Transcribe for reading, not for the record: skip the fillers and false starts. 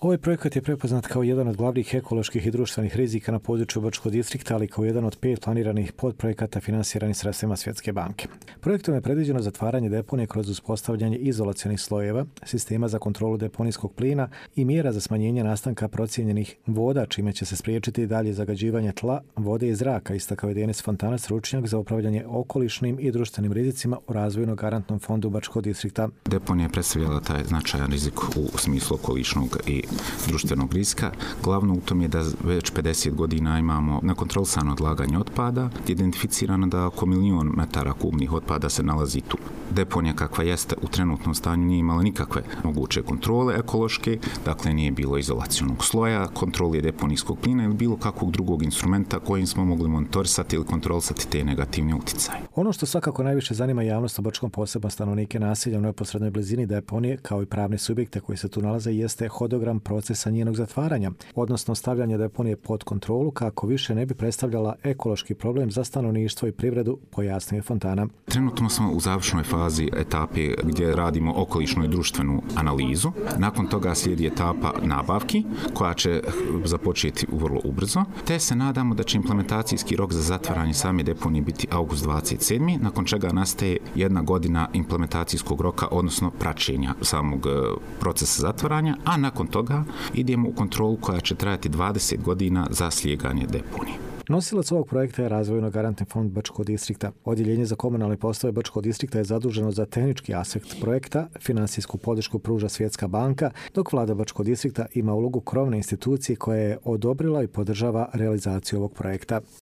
Ovaj projekat je prepoznat kao jedan od glavnih ekoloških i društvenih rizika na području Bačkog distrikta, ali kao jedan od 5 planiranih podprojekata finansiranih sredstvima Svjetske banke. Projektom je predviđeno zatvaranje deponije kroz uspostavljanje izolacionih slojeva, sistema za kontrolu deponijskog plina i mjera za smanjenje nastanka procijenjenih voda, čime će se spriječiti dalje zagađivanje tla, vode i zraka, istakao je Denis Fontana, stručnjak za upravljanje okolišnim i društvenim rizicima u Razvojno-garantnom fondu Bačkog distrikta. Deponija je predstavljala taj značajan rizik u smislu okolišnog i društvenog rizika. Glavno u tom je da već 50 godina imamo nekontrolisano odlaganje otpada. Identificirano da oko 1.000.000 metara kubnih otpada se nalazi tu. Deponija kakva jeste u trenutnom stanju nije imala nikakve moguće kontrole ekološke, dakle nije bilo izolacionog sloja, kontrole deponijskog plina ili bilo kakvog drugog instrumenta kojim smo mogli monitorisati ili kontrolisati te negativne uticaje. Ono što svakako najviše zanima javnost o Bačkom, posebno stanovnike naselja u neposrednoj blizini deponije, kao i pravne subjekte koji se tu nalaze, jeste hodogram procesa njenog zatvaranja, odnosno stavljanje deponije pod kontrolu kako više ne bi predstavljala ekološki problem za stanovništvo i privredu, pojasnio je Fontana. Trenutno smo u završnoj fazi etape gdje radimo okolišnu i društvenu analizu. Nakon toga slijedi etapa nabavki koja će započeti vrlo ubrzo, te se nadamo da će implementacijski rok za zatvaranje same deponije biti august 27. nakon čega nastaje 1 godina implementacijskog roka, odnosno praćenja samog procesa zatvaranja, a nakon toga idemo u kontrolu koja će trajati 20 godina za slijeganje deponije. Nosilac ovog projekta je Razvojno-garantni fond Bačkog distrikta. Odjeljenje za komunalne poslove Bačkog distrikta je zaduženo za tehnički aspekt projekta, finansijsku podršku pruža Svjetska banka, dok vlada Bačkog distrikta ima ulogu krovne institucije koja je odobrila i podržava realizaciju ovog projekta.